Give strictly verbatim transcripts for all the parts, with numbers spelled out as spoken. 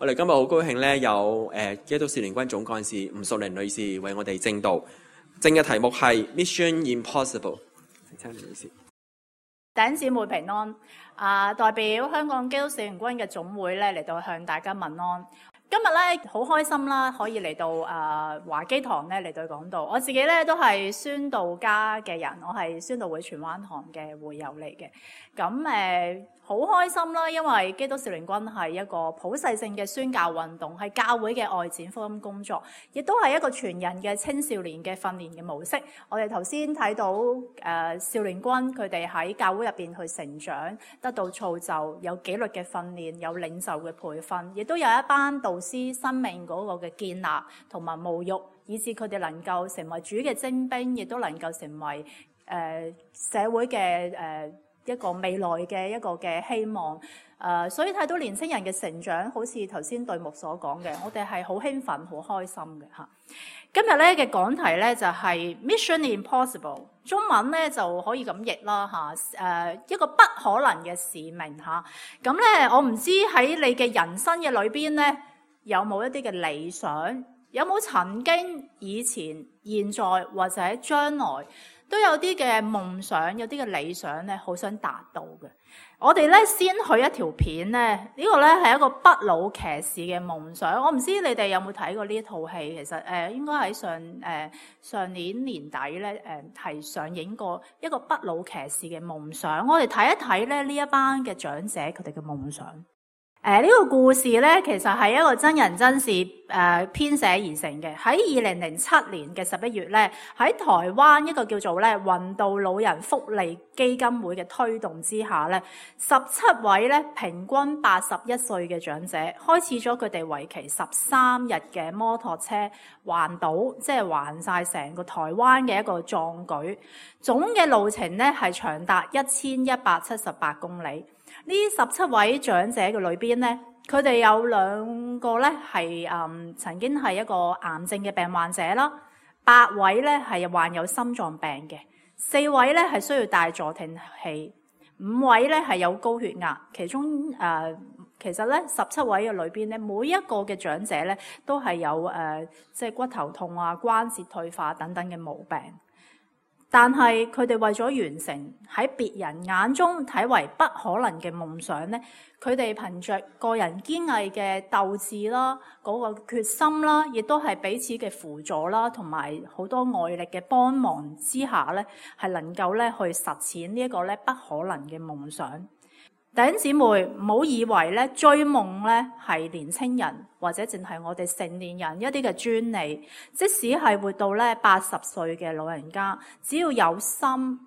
我哋今日好高興咧，有誒基督少年軍總幹事吳淑玲女士為我哋證道。正嘅題目係 Mission Impossible。請吳女士。弟兄姊妹平安。啊，代表香港基督少年軍嘅總會咧嚟到向大家問安。今日咧好開心啦，可以嚟到啊華基堂咧嚟到講道。我自己咧都係宣道家嘅人，我係宣道會荃灣堂嘅會友嚟嘅。咁誒好開心啦，因為基督少年軍係一個普世性嘅宣教運動，係教會嘅外展福音工作，亦都係一個全人嘅青少年嘅訓練嘅模式。我哋頭先睇到誒、呃、少年軍佢哋喺教會入邊去成長，得到造就，有紀律嘅訓練，有領袖嘅培訓，亦都有一班導師生命嗰個嘅建立同埋沐浴，以致佢哋能夠成為主嘅精兵，亦都能夠成為誒、呃、社會嘅誒、呃一個未來嘅一個嘅希望，誒、呃，所以睇到年青人嘅成長，好似頭先隊牧所講嘅，我哋係好興奮、好開心嘅嚇。今日咧嘅講題咧就係 Mission Impossible， 中文咧就可以咁譯啦嚇，誒、呃、一個不可能嘅使命嚇。咁、啊、咧我唔知喺你嘅人生嘅裏邊咧，有冇一啲嘅理想，有冇曾經以前、現在或者將來，都有啲嘅夢想，有啲嘅理想咧，好想達到嘅。我哋咧先去一條片咧，呢個咧係一個不老騎士嘅夢想。我唔知你哋有冇睇過呢一套戲？其實誒應該喺上誒上年年底咧誒係上映過一個不老騎士嘅夢想。我哋睇一睇咧呢一班嘅長者佢哋嘅夢想。誒、呃、呢、這個故事咧，其實係一個真人真事誒、呃、編寫而成嘅。喺二零零七年嘅十一月咧，喺台灣一個叫做咧雲道老人福利基金會嘅推動之下咧，十七位咧平均八十一歲嘅長者開始咗佢哋為期十三日嘅摩托車環島，即係環晒成個台灣嘅一個壯舉，總嘅路程咧係長達一千一百七十八公里。呢十七位長者嘅裏邊咧，佢哋有兩個咧係誒曾經係一個癌症嘅病患者啦，八位咧係患有心臟病嘅，四位咧係需要戴助聽器，五位咧係有高血壓。其中誒、呃、其實咧十七位嘅裏邊咧，每一個嘅長者咧都係有誒即係骨頭痛啊、關節退化等等嘅毛病。但係佢哋為咗完成喺別人眼中睇為不可能嘅夢想咧，佢哋憑着個人堅毅嘅鬥志啦、嗰個決心啦，亦都係彼此嘅輔助啦，同埋好多外力嘅幫忙之下咧，係能夠咧去實踐呢一個咧不可能嘅夢想。弟兄姊妹，唔好以為咧追夢咧係年青人或者淨係我哋成年人一啲嘅專利，即使係活到咧八十歲嘅老人家，只要有心，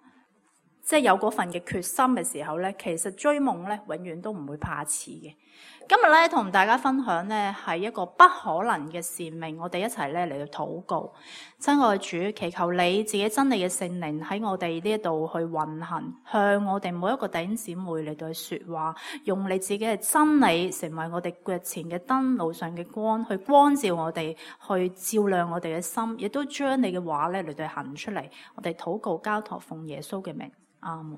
即係有嗰份嘅決心嘅時候咧，其實追夢咧永遠都唔會怕遲嘅。今日咧同大家分享咧係一個不可能嘅使命，我哋一齊咧嚟到禱告。親愛主，祈求你自己真理嘅聖靈喺我哋呢一度去運行，向我哋每一個弟兄姊妹嚟到去說話，用你自己嘅真理成為我哋腳前嘅燈，路上嘅光，去光照我哋，去照亮我哋嘅心，亦都將你嘅話咧嚟到行出嚟。我哋禱告交託奉耶穌嘅名，阿門。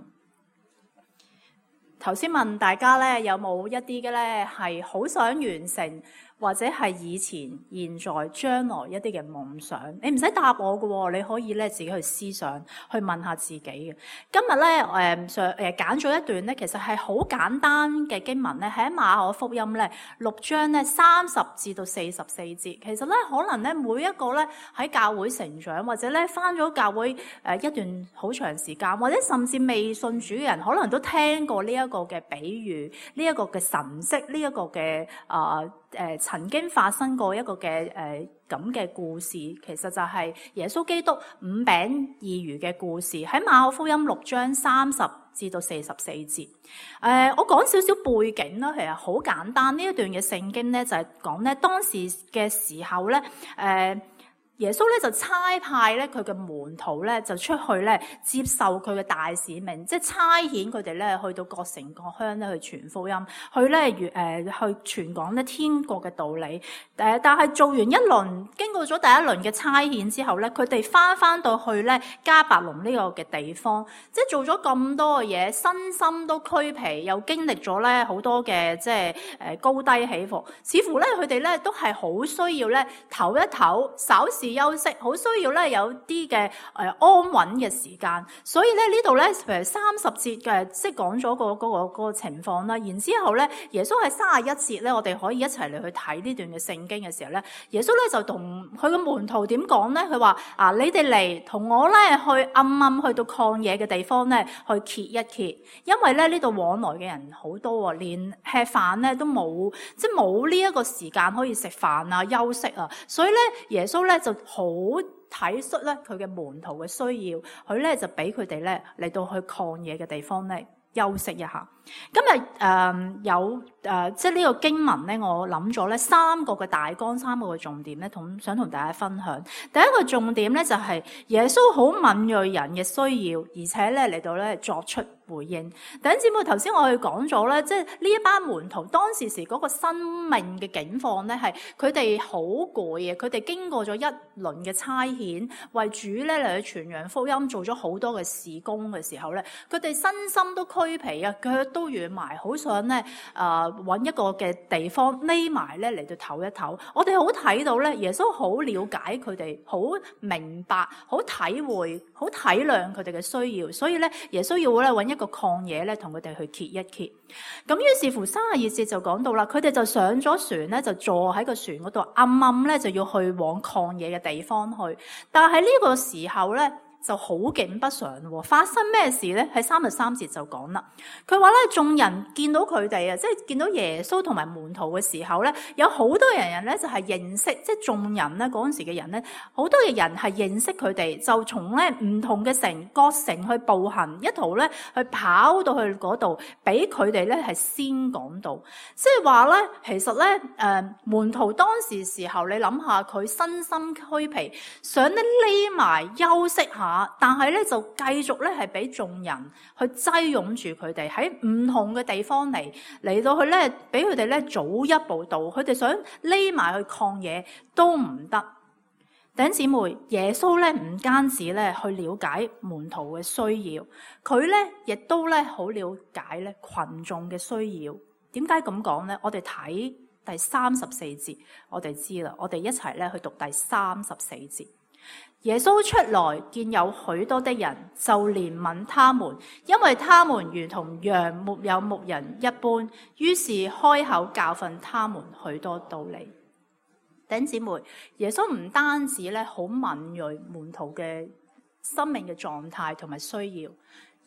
頭先問大家咧，有冇一啲嘅咧係好想完成，或者係以前、現在、將來一啲嘅夢想？你唔使答我嘅，你可以咧自己去思想，去問下自己嘅。今日咧誒上誒揀咗一段咧，其實係好簡單嘅經文咧，喺馬可福音咧六章咧三十至到四十四節。其實咧可能咧每一個咧喺教會成長，或者咧返咗教會誒一段好長時間，或者甚至未信主嘅人，可能都聽過呢一個嘅比喻，呢一個嘅神蹟，呢一個嘅啊誒曾經發生過一個嘅誒咁嘅故事，其實就係耶穌基督五餅二魚嘅故事，喺馬可福音六章三十至到四十四節。誒、呃，我講少少背景啦，其實好簡單。呢一段嘅聖經咧就係講咧當時嘅時候咧，誒、呃。耶穌咧就差派咧佢嘅門徒咧就出去咧接受佢嘅大使命，即係差遣佢哋咧去到各城各鄉咧去傳福音，去咧誒、呃、去傳講咧天國嘅道理。誒、呃，但係做完一輪，經過咗第一輪嘅差遣之後咧，佢哋翻翻到去咧迦百農呢個嘅地方，即係做咗咁多嘅嘢，身心都俱疲，又經歷咗咧好多嘅即係誒高低起伏，似乎咧佢哋咧都係好需要咧唞一唞，稍事休息，好需要咧有啲嘅誒安穩嘅時間。所以咧呢度咧譬如三十節嘅即係講咗個嗰個嗰個情況啦。然之後咧耶穌喺三十一節咧，我哋可以一齊嚟去睇呢段嘅聖經嘅時候咧，耶穌咧就同佢嘅門徒點講咧？佢話啊，你哋嚟同我咧去暗暗去到曠野嘅地方咧去歇一歇，因為咧呢度往來嘅人好多啊，連吃飯咧都冇，即係冇呢一個時間可以食飯啊休息啊，所以咧耶穌咧就好體恤咧佢嘅門徒嘅需要，佢咧就俾佢哋咧嚟到去曠野嘅地方咧休息一下。今日誒、呃、有誒、呃、即係呢個經文咧，我諗咗咧三個嘅大綱，三個嘅重點咧，同想同大家分享。第一個重點咧就係、是、耶穌好敏銳人嘅需要，而且咧嚟到咧作出回應。弟兄姊妹，頭先我哋講咗咧，即係呢一班門徒當時時嗰個生命嘅境況咧，係佢哋好攰嘅，佢哋經過咗一輪嘅差遣，為主咧嚟去傳揚福音，做咗好多嘅事工嘅時候咧，佢哋身心都俱疲啊，腳都軟埋，好想咧誒揾一個嘅地方匿埋咧嚟到唞一唞。我哋好睇到咧，耶穌好了解佢哋，好明白，好體會，好體諒佢哋嘅需要，所以咧耶穌要咧揾一個曠野咧，同佢哋去歇一歇。咁於是乎三十二節就講到啦，佢哋就上咗船咧，就坐喺個船嗰度，暗暗咧就要去往曠野嘅地方去。但係呢個時候咧，就好景不常喎，發生咩事咧？喺三十三節就講啦。佢話咧，眾人見到佢哋啊，即係見到耶穌同埋門徒嘅時候咧，有好多人人咧就係認識，即係眾人咧嗰陣時嘅人咧，好多嘅人係認識佢哋，就從咧唔同嘅城各城去步行，一途咧去跑到去嗰度，俾佢哋咧係先講道。即係話咧，其實咧誒、呃、門徒當時時候，你諗下佢身心俱疲，想咧匿埋休息下。但係咧就繼續咧係俾眾人去擠擁住佢哋喺唔同嘅地方嚟嚟到去咧，俾佢哋咧早一步到，佢哋想匿埋去曠野都唔得。弟兄姊妹，耶穌咧唔單止咧去了解門徒嘅需要，佢咧亦都咧好了解咧群眾嘅需要。點解咁講咧？我哋睇第三十四節，我哋知啦。我哋一齊咧去讀第三十四節。耶穌出來見有許多的人，就憐憫他們，因為他們如同羊沒有牧人一般，於是開口教訓他們許多道理。弟兄姊妹，耶穌唔單止咧好敏銳門徒嘅生命嘅狀態同埋需要，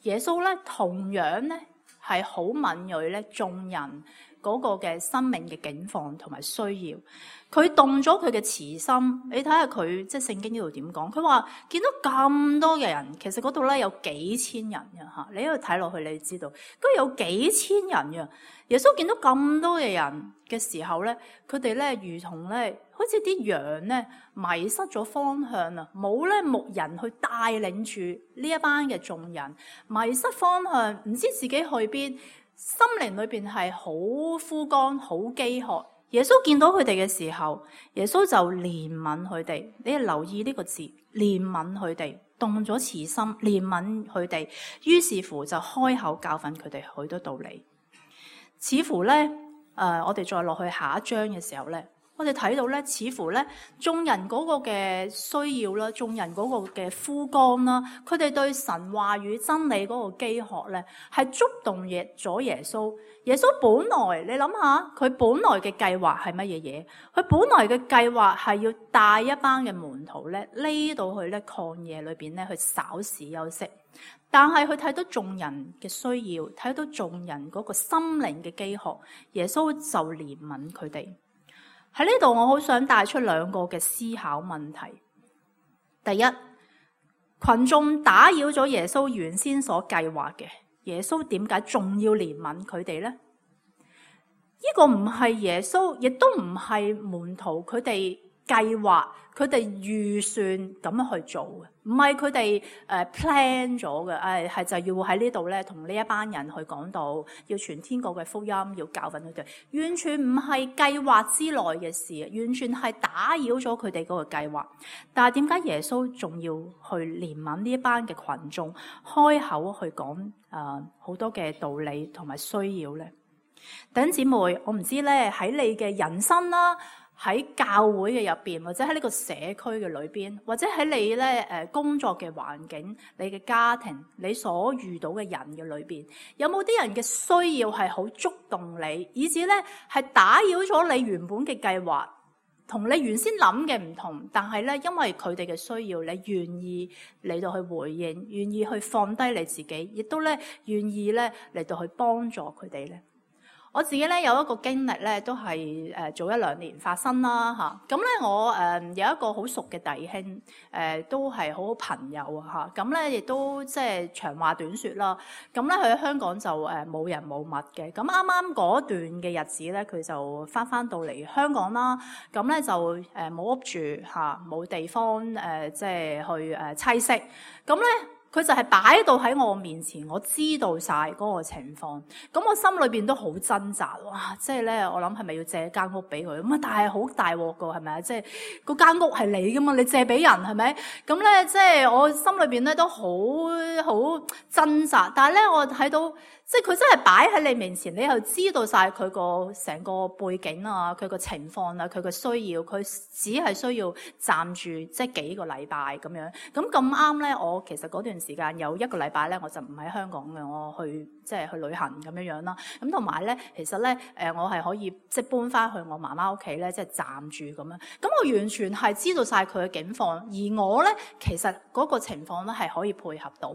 耶穌咧同樣咧係好敏銳咧眾人嗰個嘅生命嘅境況同埋需要。佢動咗佢嘅慈心，你睇下佢即係聖經呢度點講？佢話見到咁多嘅人，其實嗰度咧有幾千人嘅嚇，你喺度睇落去，你知道，佢有幾千人嘅。耶穌見到咁多嘅人嘅時候咧，佢哋咧如同咧，好似啲羊咧迷失咗方向啊，冇咧牧人去帶領住呢一班嘅眾人，迷失方向，唔知自己去邊，心靈裏邊係好枯乾、好飢渴。耶穌見到佢哋嘅時候，耶穌就憐憫佢哋。你留意呢個字，憐憫佢哋，動咗慈心，憐憫佢哋。於是乎就開口教訓佢哋許多道理。似乎咧，誒、呃，我哋再落去下一章嘅時候咧，我哋睇到咧，似乎咧，眾人嗰個嘅需要啦，眾人嗰個嘅枯乾啦，佢哋對神話語真理嗰個飢渴咧，係觸動咗耶穌。耶穌本來，你諗下，佢本來嘅計劃係乜嘢嘢？佢本來嘅計劃係要帶一班嘅門徒咧，匿到去咧曠野裏邊咧去稍事休息。但係佢睇到眾人嘅需要，睇到眾人嗰個心靈嘅飢渴，耶穌就憐憫佢哋。喺呢度，我好想帶出兩個嘅思考問題。第一，群眾打擾咗耶穌原先所計劃嘅。耶穌點解仲要憐憫佢哋呢？呢個唔係耶穌，亦都唔係門徒佢哋計劃，佢哋預算咁樣去做嘅，唔係佢哋誒 plan 咗嘅，誒係就要喺呢度咧同呢一班人去講道，要傳天國嘅福音，要教訓佢哋，完全唔係計劃之內嘅事，完全係打擾咗佢哋嗰個計劃。但係點解耶穌仲要去憐憫呢一班嘅群眾，開口去講誒好多嘅道理同埋需要咧？弟兄姊妹，我唔知咧喺你嘅人生啦，喺教會嘅入邊，或者喺呢個社區嘅裏邊，或者喺你咧誒工作嘅環境、你嘅家庭、你所遇到嘅人嘅裏邊，有冇啲人嘅需要係好觸動你，以至咧係打擾咗你原本嘅計劃，同你原先諗嘅唔同，但係咧因為佢哋嘅需要，你願意嚟到去回應，願意去放低你自己，亦都咧願意咧嚟到去幫助佢哋咧。我自己咧有一個經歷咧，都係誒早一兩年發生啦嚇。咁咧我誒有一個好熟嘅弟兄，誒都係好好朋友啊嚇。咁咧亦都即係長話短説啦。咁咧佢喺香港就誒冇人冇物嘅。咁啱啱嗰段嘅日子咧，佢就翻翻到嚟香港啦。咁咧就誒冇屋住嚇，冇地方誒即係去誒棲息。咁咧。佢就係擺到喺我面前，我知道晒嗰個情況，咁我心裏邊都好掙扎，哇！即係咧，我諗係咪要借間屋俾佢？咁啊，但係好大鑊噶，係咪啊？即係嗰間屋係你噶嘛，你借俾人係咪？咁咧，即係我心裏邊咧都好好掙扎，但係咧，我睇到。即係佢真係擺喺你面前，你又知道晒佢個成個背景啊，佢個情況啊，佢個需要，佢只係需要暫住即係幾個禮拜咁樣。咁咁啱咧，我其實嗰段時間有一個禮拜咧，我就唔喺香港嘅，我去即係去旅行咁樣樣啦。咁同埋咧，其實咧誒，我係可以即係搬翻去我媽媽屋企咧，即係暫住咁樣。咁我完全係知道晒佢嘅境況，而我咧其實嗰個情況咧係可以配合到。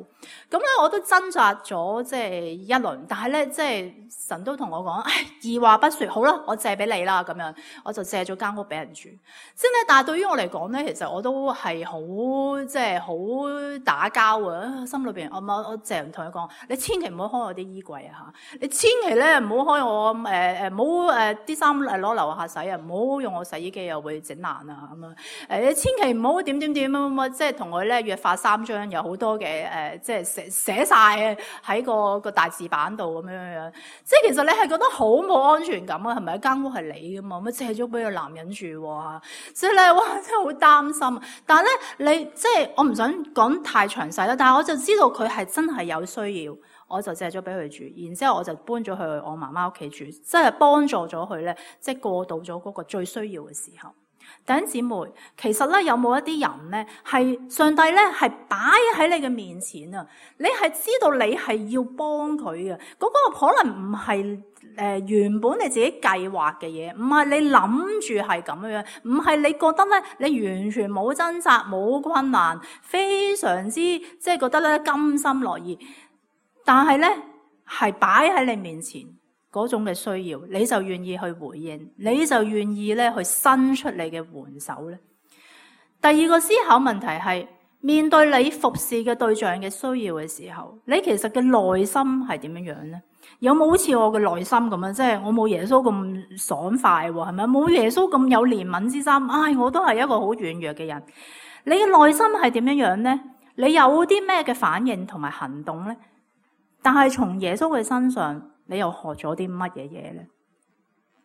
咁咧我都掙扎咗即係一輪，但係咧，即係神都同我講，唉，二話不說，好啦，我借俾你啦，咁樣，我就借咗間屋俾人住。即係咧，但係對於我嚟講咧，其實我都係好，即係好打交啊！心裏邊，我我我淨係同佢講，你千祈唔好開我啲衣櫃啊吓，你千祈咧唔好開我誒誒，唔好誒啲衫誒攞樓下洗啊，唔好用我洗衣機又會整爛啊咁樣。誒，你千祈唔好點點點咁啊，即係同佢咧約法三章，有好多嘅誒，即係寫寫晒喺個個大字板度。咁樣樣，即係其實你係覺得好冇安全感啊？係咪？間屋係你噶嘛？咁借咗俾個男人住喎，所以咧，哇，真係好擔心。但係咧，你即係我唔想講太詳細啦。但係我就知道佢係真係有需要，我就借咗俾佢住。然之後我就搬咗去我媽媽屋企住，即係幫助咗佢咧，即係過渡咗嗰個最需要嘅時候。弟兄姊妹，其實咧有冇一啲人咧係上帝咧係擺喺你嘅面前啊？你係知道你係要幫佢嘅，嗰、嗰個可能唔係誒原本你自己計劃嘅嘢，唔係你諗住係咁樣，唔係你覺得咧你完全冇掙扎冇困難，非常之即係覺得咧甘心樂意，但係咧係擺喺你面前。嗰種嘅需要，你就願意去回應，你就願意咧去伸出你嘅援手咧。第二個思考問題係，面對你服侍嘅對象嘅需要嘅時候，你其實嘅內心係點樣樣咧？有冇好似我嘅內心咁樣？即係我冇耶穌咁爽快喎，係咪？冇耶穌咁有憐憫之心，唉，我都係一個好軟弱嘅人。你嘅內心係點樣樣咧？你有啲咩嘅反應同埋行動咧？但係從耶穌嘅身上，你又學咗啲乜嘢嘢咧？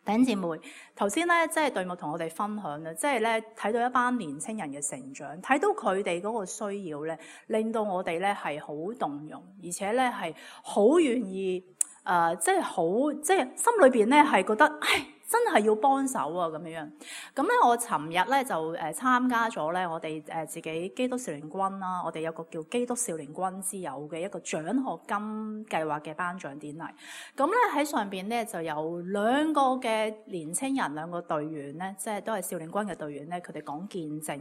弟兄姊妹，頭先咧即係隊牧同我哋分享啦，即係咧睇到一班年青人嘅成長，睇到佢哋嗰個需要咧，令到我哋咧係好動容，而且咧係好願意誒，即係好即係心裏邊咧係覺得，唉，真係要幫手啊咁樣樣。咁咧我尋日咧就誒參加咗咧我哋誒自己基督少年軍啦，我哋有個叫基督少年軍之友嘅一個獎學金計劃嘅頒獎典禮。咁咧喺上邊咧就有兩個嘅年青人，兩個隊員咧，即係都係少年軍嘅隊員咧，佢哋講見證。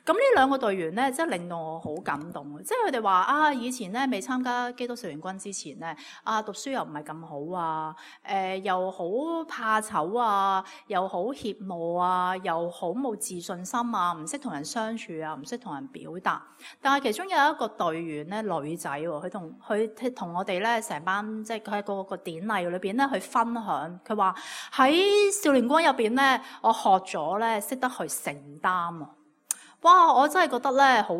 咁呢兩個隊員咧，即係令到我好感動。即係佢哋話啊，以前咧未參加基督少年軍之前咧，啊讀書又唔係咁好啊，誒、呃、又好怕醜啊，又好怯懦啊，又好冇自信心啊，唔識同人相處啊，唔識同人表達。但係其中有一個隊員咧，女仔喎，佢同佢同我哋咧成班，即係佢喺嗰個典禮裏邊咧去分享，佢話喺少年宮入邊咧，我學咗咧識得去承擔啊！哇！我真係覺得咧，好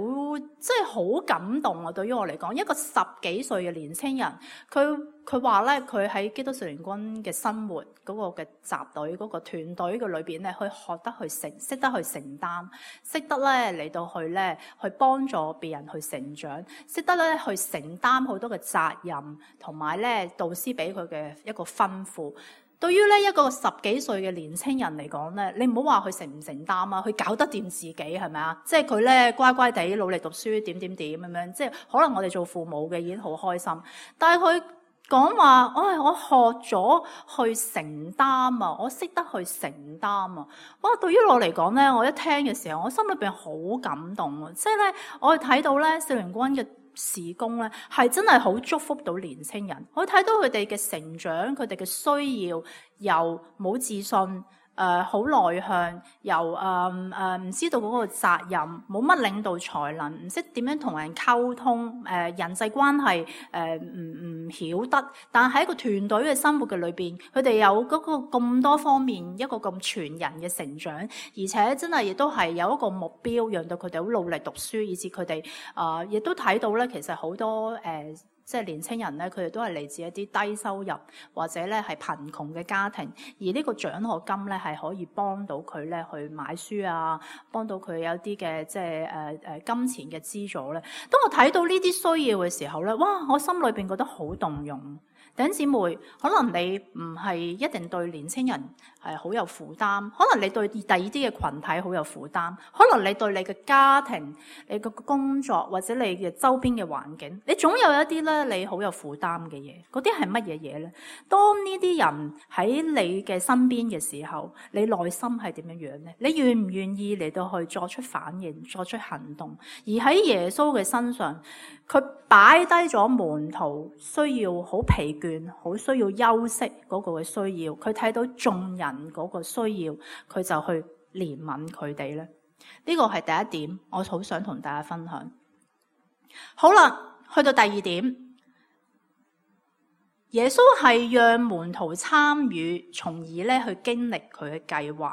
即係好感動啊！對於我嚟講，一個十幾歲嘅年青人，佢佢話咧，佢喺基督少年軍嘅生活嗰個嘅集隊、嗰個團隊嘅裏邊咧，去學得去承，識得去承擔，識得咧嚟到去咧去幫助別人去成長，識得咧去承擔好多嘅責任，同埋咧導師俾佢嘅一個吩咐。對於咧一個十幾歲嘅年青人嚟講咧，你唔好話佢承唔承擔啊，佢搞得掂自己係咪啊？即係佢咧乖乖地努力讀書，點點點咁樣，即係可能我哋做父母嘅已經好開心。但係佢講話，唉，我學咗去承擔啊，我識得去承擔啊。哇！對於我嚟講咧，我一聽嘅時候，我心裏邊好感動啊。即係咧，我睇到咧少年軍嘅事工咧，係真係好祝福到年青人。我睇到佢哋嘅成長，佢哋嘅需要，由冇自信，誒好內向，由誒誒唔知道嗰個責任，冇乜領導才能，唔識點樣同人溝通，誒、呃、人際關係誒唔唔曉得。但係喺個團隊嘅生活嘅裏邊，佢哋有嗰個咁多方面一個咁全人嘅成長，而且真係亦都係有一個目標，讓到佢哋好努力讀書，以至佢哋啊亦都睇到咧，其實好多誒。呃即係年青人咧，佢哋都係嚟自一啲低收入或者咧係貧窮嘅家庭，而呢個獎學金咧係可以幫到佢咧去買書啊，幫到佢有啲嘅即係誒誒金錢嘅資助咧。當我睇到呢啲需要嘅時候咧，哇！我心裏邊覺得好動容。弟兄姊妹，可能你唔係一定對年青人係好有負擔，可能你對第二啲嘅群體好有負擔，可能你對你嘅家庭、你嘅工作或者你嘅周邊嘅環境，你總有一啲咧你好有負擔嘅嘢。嗰啲係乜嘢嘢咧？當呢啲人喺你嘅身邊嘅時候，你內心係點樣樣咧？你願唔願意嚟到去作出反應、作出行動？而喺耶穌嘅身上，佢擺低咗門徒需要好疲倦、好需要休息嗰個嘅需要，佢睇到眾人嗰個需要，佢就去憐憫佢哋咧。呢個係第一點，我好想同大家分享。好啦，去到第二點，耶穌係讓門徒參與，從而咧去經歷佢嘅計劃。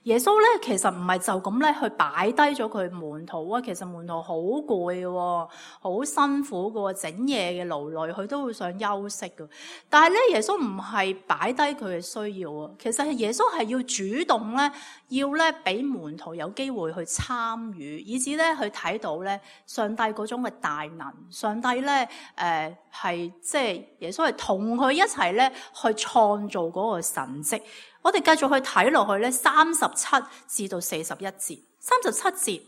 耶穌咧其實唔係就咁咧去擺低咗佢門徒啊，其實門徒好攰嘅，好辛苦嘅，整夜嘅勞累，佢都會想休息嘅。但係咧，耶穌唔係擺低佢嘅需要啊，其實係耶穌係要主動咧，要咧俾門徒有機會去參與，以至咧去睇到咧上帝嗰種嘅大能，上帝咧誒係即係耶穌係同佢一齊咧去創造嗰個神蹟。我哋繼續去睇落去咧，三十七至到四十一節。三十七節，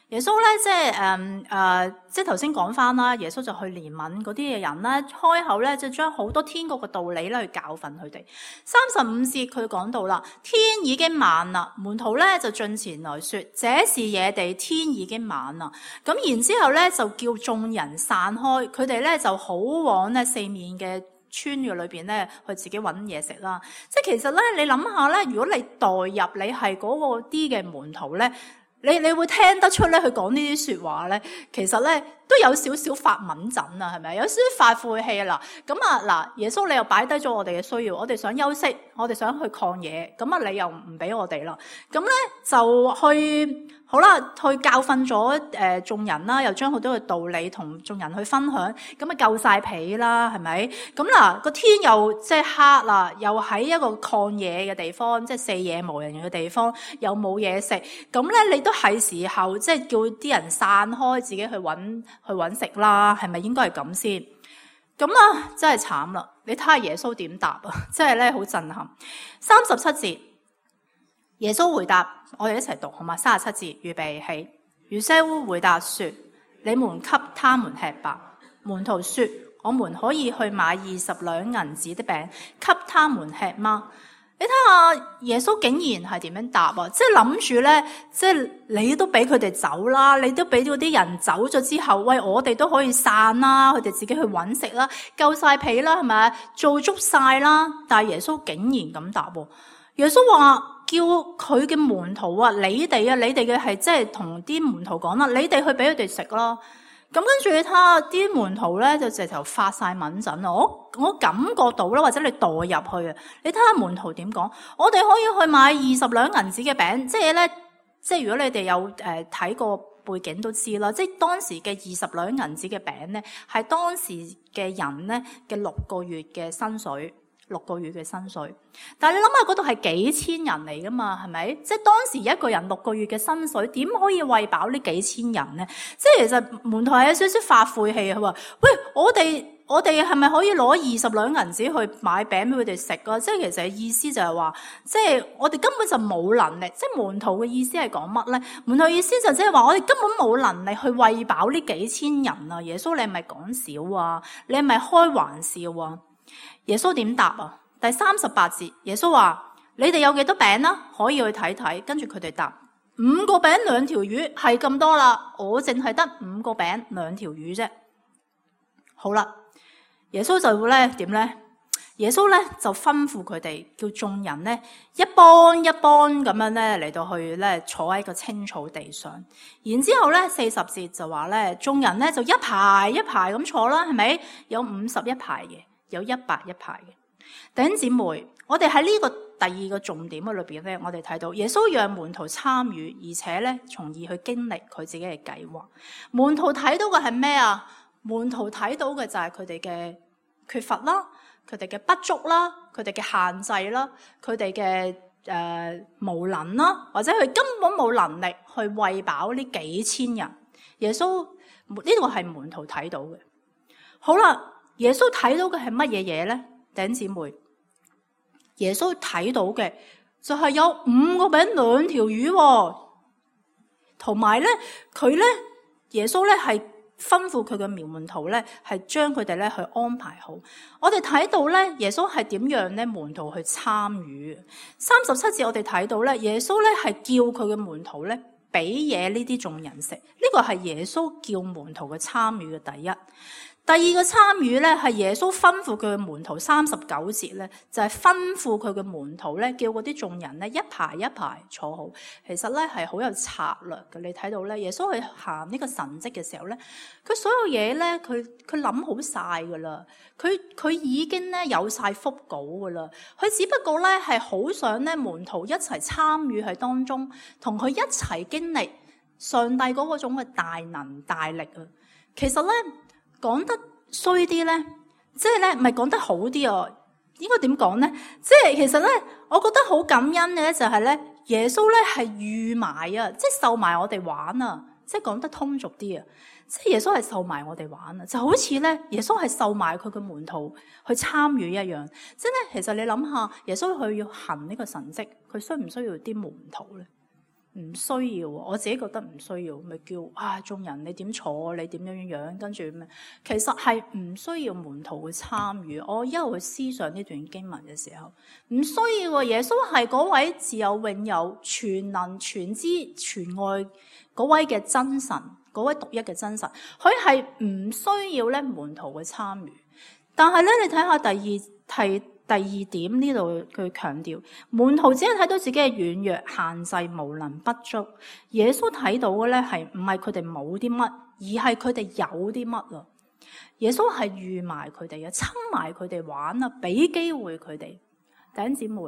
耶穌咧即係誒誒，即係頭先講翻啦，耶穌就去憐憫嗰啲嘅人咧，開口咧就將好多天國嘅道理咧去教訓佢哋。三十五節佢講到啦，天已經晚啦，門徒咧就進前來說：這是野地，天已經晚啦。咁然之後咧就叫眾人散開，佢哋咧就好往咧四面嘅村嘅裏邊咧，去自己揾嘢食啦。即係其實咧，你諗下咧，如果你代入你係嗰個啲嘅門徒咧，你你會聽得出咧，佢講呢啲說話咧，其實咧都有少少發敏陣啊，係咪？有少少發晦氣啦。咁啊嗱，耶穌你又擺低咗我哋嘅需要，我哋想休息，我哋想去曠野，咁啊你又唔俾我哋啦。咁咧就去好啦，去教訓咗誒眾人啦，又將好多嘅道理同眾人去分享，咁啊夠晒皮啦，係咪？咁嗱個天又即係黑啦，又喺一個曠野嘅地方，即係四野無人嘅地方，又冇嘢食，咁咧你都係時候即係叫啲人散開，自己去揾去揾食啦，係咪應該係咁先？咁啊真係慘啦！你睇下耶穌點答啊，真係咧好震撼。三十七節，耶穌回答。我哋一齊讀好嘛？三十七節，預備起。約瑟夫回答說：你們給他們吃吧。門徒說：我們可以去買二十兩銀子的餅，給他們吃嗎？你睇下耶穌竟然係點樣答啊？即係諗住咧，即係你都俾佢哋走啦，你都俾嗰啲人走咗之後，喂，我哋都可以散啦，佢哋自己去揾食啦，夠晒皮啦，係咪？做足晒啦。但係耶穌竟然咁答喎。耶穌話叫佢嘅門徒啊，你哋啊，你哋嘅係即係同啲門徒講啦，你哋去俾佢哋食啦。咁跟住你睇下啲門徒咧，就直頭發晒敏陣啊！我我感覺到啦，或者你代入去啊，你睇下門徒點講，我哋可以去買二十兩銀子嘅餅，即係咧，即係如果你哋有誒睇過背景都知啦，即係當時嘅二十兩銀子嘅餅咧，係當時嘅人咧嘅六個月嘅薪水。六個月嘅薪水，但係你諗下嗰度係幾千人嚟噶嘛，係咪？即係當時一個人六個月嘅薪水，點可以餵飽呢幾千人咧？即係其實門徒係有少少發晦氣，佢話：喂，我哋我哋係咪可以攞二十兩銀子去買餅俾佢哋食啊？即係其實意思就係話，即係我哋根本就冇能力。即係門徒嘅意思係講乜咧？門徒意思就即係話，我哋根本冇能力去餵飽呢幾千人啊！耶穌，你係咪講笑啊？你係咪開玩笑啊？耶穌點答啊？第三十八節，耶穌話：你哋有幾多餅啦？可以去睇睇。跟住佢哋答：五個餅兩條魚係咁多啦。我淨係得五個餅兩條魚啫。好啦，耶穌就會咧點咧？耶穌咧就吩咐佢哋叫眾人咧一幫一幫咁樣咧嚟到去咧坐喺個青草地上。然之後咧四十節就話咧，眾人咧就一排一排咁坐啦，係咪？有五十一排嘅。有一百一排嘅。弟兄姊妹，我哋喺呢個第二個重點嘅裏邊咧，我哋睇到耶穌讓門徒參與，而且咧從而去經歷佢自己嘅計劃。門徒睇到嘅係咩啊？門徒睇到嘅就係佢哋嘅缺乏啦，佢哋嘅不足啦，佢哋嘅限制啦，佢哋嘅誒無能啦，或者佢根本冇能力去餵飽呢幾千人。耶穌呢個係門徒睇到嘅。好啦。耶穌睇到嘅係乜嘢嘢咧？弟兄姊妹，耶穌睇到嘅就係有五個餅兩條魚，同埋咧佢咧耶穌咧係吩咐佢嘅門徒咧係將佢哋咧去安排好。我哋睇到咧耶穌係點樣咧門徒去參與。三十七節我哋睇到咧耶穌咧係叫佢嘅門徒咧俾嘢呢啲眾人食。呢個係耶穌叫門徒嘅參與嘅第一。第二個參與咧，係耶穌吩咐佢嘅門徒，三十九節咧，就係、是、吩咐佢嘅門徒咧，叫嗰啲眾人咧一排一排坐好。其實咧係好有策略嘅。你睇到咧，耶穌去行呢個神蹟嘅時候咧，佢所有嘢咧，佢佢諗好晒噶啦，佢佢已經咧有晒腹稿噶啦，佢只不過咧係好想咧門徒一齊參與喺當中，同佢一齊經歷上帝嗰個種嘅大能大力啊。其實咧。講得衰啲咧，即係咧，唔係講得好啲啊？應該點講咧？即係其實咧，我覺得好感恩嘅咧，就係咧，耶穌咧係預埋啊，即係受埋我哋玩啊，即係講得通俗啲啊，即係耶穌係受埋我哋玩啊，就好似咧，耶穌係受埋佢嘅門徒去參與一樣。即係咧，其實你諗下，耶穌佢要行呢個神蹟，佢需唔需要啲門徒咧？唔需要，我自己覺得唔需要，咪叫啊眾人你點坐，你點樣樣樣，跟住咩？其實係唔需要門徒去參與。我一路去思想呢段經文嘅時候，唔需要。耶穌係嗰位自有永有、全能全知全愛嗰位嘅真神，嗰位獨一嘅真神，佢係唔需要咧門徒去參與。但係咧，你睇下第二題。第二點呢度佢強調，門徒只係睇到自己嘅軟弱、限制、無能、不足。耶穌睇到嘅咧係唔係佢哋冇啲乜，而係佢哋有啲乜啊？耶穌係預埋佢哋啊，親埋佢哋玩啊，俾機會佢哋。弟兄姊妹，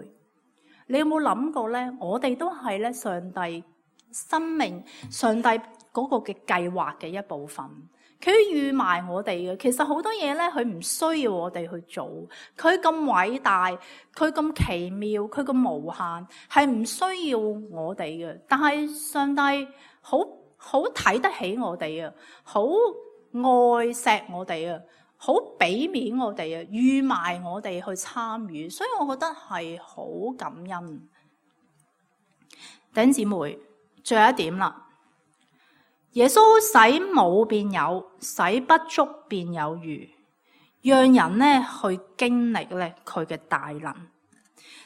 你有冇諗過咧？我哋都係咧上帝生命、上帝嗰個嘅計劃嘅一部分。佢預埋我哋嘅，其實好多嘢咧，佢唔需要我哋去做。佢咁偉大，佢咁奇妙，佢咁無限，係唔需要我哋嘅。但係上帝好好睇得起我哋啊，好愛錫我哋啊，好俾面我哋啊，預埋我哋去參與。所以我覺得係好感恩。弟兄姊妹，最後一點啦。耶穌使冇變有，使不足變有餘，讓人咧去經歷咧佢嘅大能。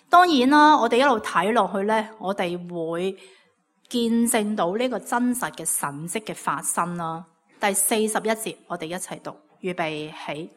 當然啦，我哋一路睇落去咧，我哋會見證到呢個真實嘅神蹟嘅發生啦。第四十一節，我哋一齊讀，預備起。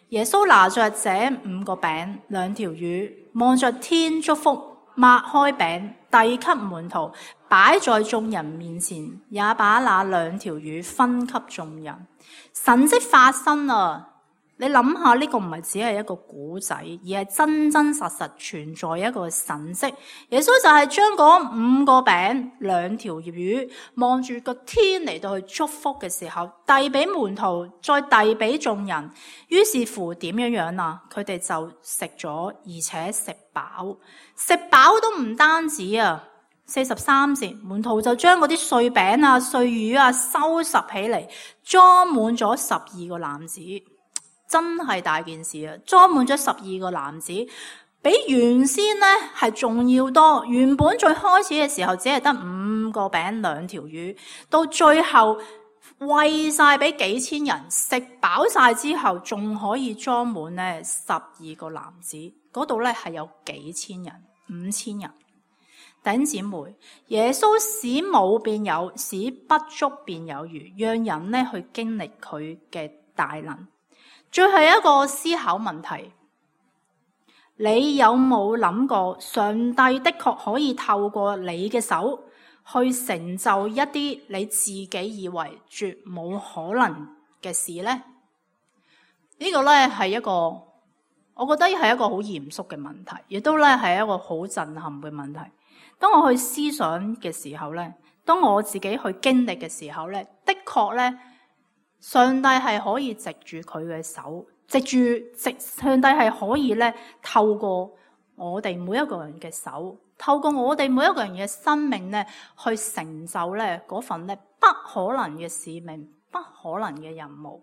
耶穌拿着這五個餅兩條魚，望着天祝福，擘開餅，遞給門徒，擺在眾人面前，也把那兩條魚分給眾人。神蹟發生啊！你諗下，呢個唔係只係一個古仔，而係真真實實存在一個神蹟。耶穌就係將嗰五個餅、兩條魚，望住個天嚟到去祝福嘅時候，遞俾門徒，再遞俾眾人。於是乎點樣樣啊？佢哋就食咗，而且食飽。食飽都唔單止啊！四十三節，門徒就將嗰啲碎餅啊、碎魚啊收拾起嚟，裝滿咗十二個籃子。真係大件事啊！裝滿咗十二個籃子，比原先咧係仲要多。原本最開始嘅時候只係得五個餅兩條魚，到最後餵晒俾幾千人，食飽晒之後，仲可以裝滿咧十二個籃子。嗰度咧係有幾千人，五千人。弟兄姊妹，耶穌使冇變有，使不足變有餘，讓人咧去經歷佢嘅大能。最後一個思考問題，你有冇諗過上帝的確可以透過你嘅手去成就一啲你自己以為絕冇可能嘅事呢？呢個咧係一個，我覺得係一個好嚴肅嘅問題，亦都咧係一個好震撼嘅問題。當我去思想嘅時候咧，當我自己去經歷嘅時候咧，的確咧。上帝係可以藉住佢嘅手，藉住藉上帝係可以咧透過我哋每一個人嘅手，透過我哋每一個人嘅生命咧，去成就咧嗰份咧不可能嘅使命、不可能嘅任務。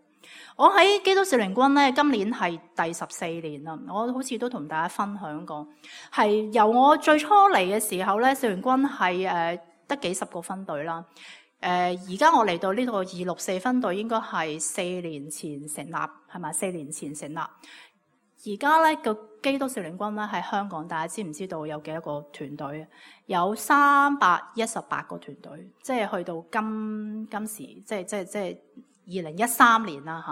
我喺基督少年軍咧，今年係第十四年啦。我好似都同大家分享過，係由我最初嚟嘅時候咧，少年軍係誒得幾十個分隊啦。誒而家我嚟到呢個二六四分隊，應該係四年前成立，係咪？四年前成立。而家咧個基督少年軍咧喺香港，大家知唔知道有幾多個團隊？有三百一十八個團隊，即係去到今今時，即係即係即係二零一三年啦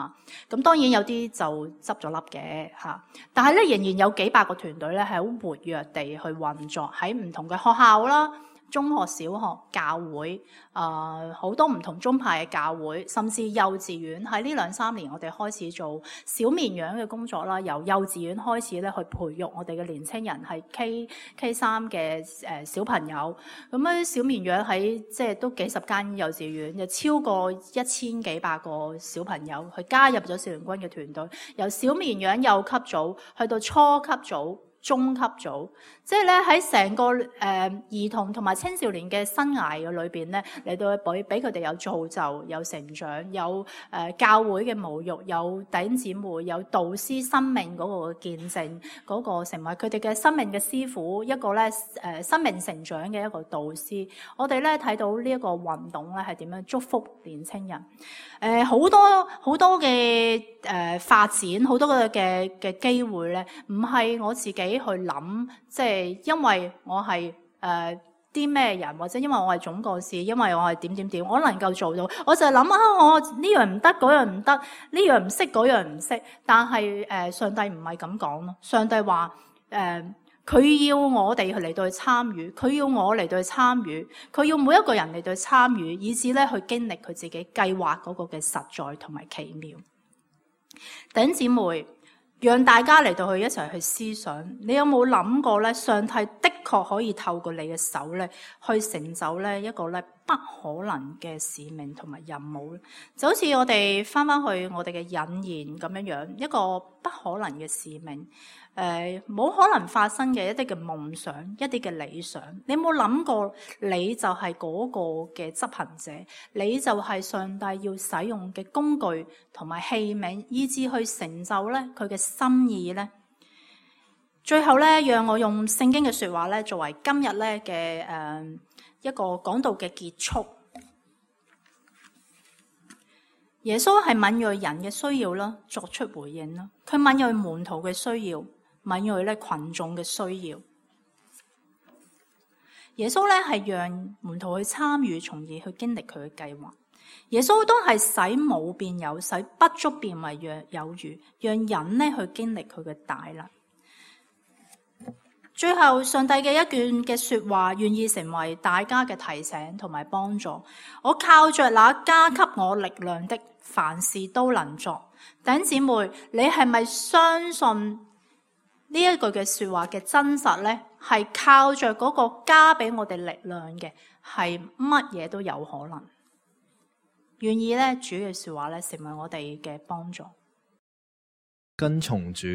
嚇。咁當然有啲就執咗笠嘅嚇，但係咧仍然有幾百個團隊咧係好活躍地去運作喺唔同嘅學校啦。中學、小學、教會，誒好多唔同宗派嘅教會，甚至幼稚園。喺呢兩三年，我哋開始做小綿羊嘅工作啦。由幼稚園開始咧，去培育我哋嘅年青人，係 K K 三嘅誒小朋友。咁咧，小綿羊喺即係都幾十間幼稚園，有超過一千幾百個小朋友去加入咗少年軍嘅團隊。由小綿羊幼級組去到初級組。中級組，即係咧喺成個誒、呃、兒童同埋青少年嘅生涯嘅裏邊咧，嚟到俾俾佢哋有造就、有成長、有誒、呃、教會嘅母育、有弟兄姊妹、有導師生命嗰個見證，嗰、那個成為佢哋嘅生命嘅師傅，一個咧誒、呃、生命成長嘅一個導師。我哋咧睇到呢一個運動咧係點樣祝福年青人。誒、呃、好多好多嘅誒、呃、發展，好多嘅嘅嘅機會咧，唔係我自己。去諗，即係因為我係誒啲咩人，或者因為我係總幹事，因為我係點點點，我能夠做到，我就係諗啊，我呢樣唔得，嗰樣唔得，呢樣唔識，嗰樣唔識。但係誒、呃，上帝唔係咁講咯。上帝話誒，佢、呃、要我哋嚟到去參與，佢要我嚟到去參與，佢要每一個人嚟到去參與，以至咧去經歷佢自己計劃嗰個嘅實在同埋奇妙。弟兄姊妹。讓大家嚟到去一齊去思想，你有冇諗過咧？上帝的確可以透過你嘅手咧，去成就咧一個咧不可能嘅使命同埋任務咧。就好似我哋翻翻去我哋嘅引言咁樣樣，一個不可能嘅使命。誒冇、呃、可能發生嘅一啲嘅夢想，一啲嘅理想，你有冇諗過？你就係嗰個嘅執行者，你就係上帝要使用嘅工具同埋器皿，以至去成就咧佢嘅心意咧。最後咧，讓我用聖經嘅說話咧，作為今日咧嘅誒一個講道嘅結束。耶穌係敏銳人嘅需要啦，作出回應啦。佢敏銳門徒嘅需要。敏銳咧群眾嘅需要，耶穌咧係讓門徒去參與，從而去經歷佢嘅計劃。耶穌都係使冇變有，使不足變為有餘，讓人咧去經歷佢嘅大能。最後，上帝嘅一卷嘅說話，願意成為大家嘅提醒同埋幫助。我靠着那加給我力量的，凡事都能做。弟兄姊妹，你係咪相信呢一句嘅說話嘅真實呢？係靠着嗰個加俾我哋力量嘅，係乜嘢都有可能。願意咧，主嘅說話咧，成為我哋嘅幫助。跟從主。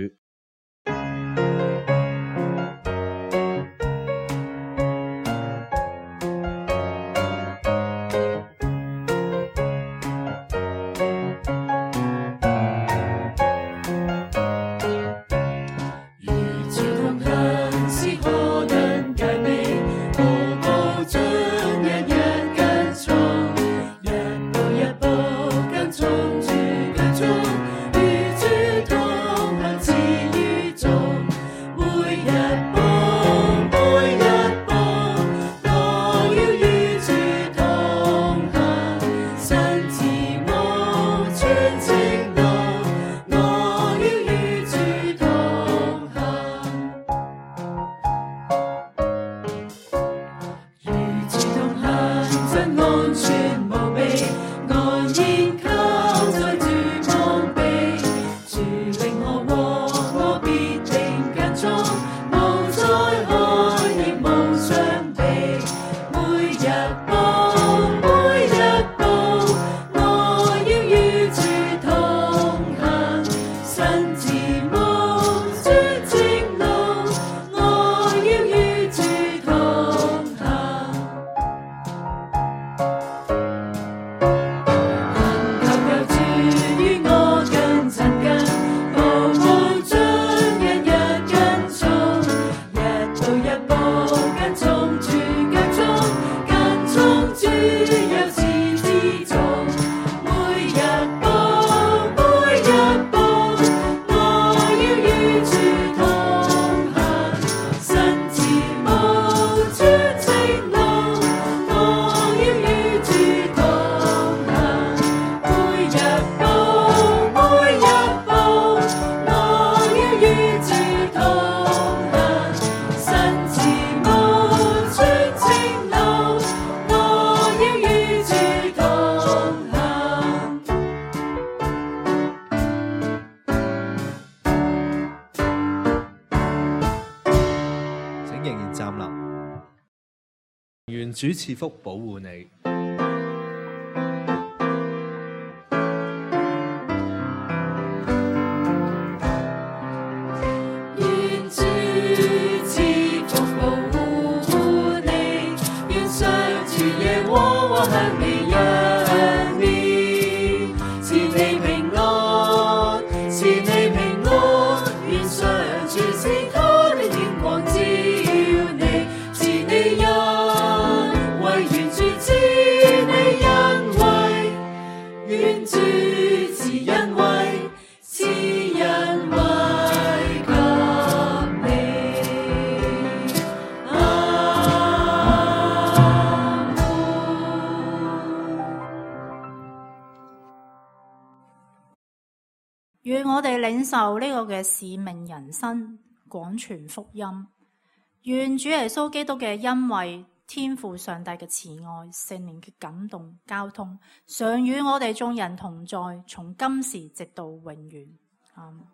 願主賜福保護你。願主賜福保護你，願上主耶和華向你仰臉，賜你平安，賜你平安，願上主賜他的天光照你，賜你恩惠，願主賜你恩惠，願主賜恩惠，賜恩惠給你。阿門。願我哋領受呢個嘅使命人生，廣傳福音。願主耶穌基督嘅恩惠、天父上帝嘅慈愛、聖靈嘅感動、交通，常與我哋眾人同在，從今時直到永遠。阿們。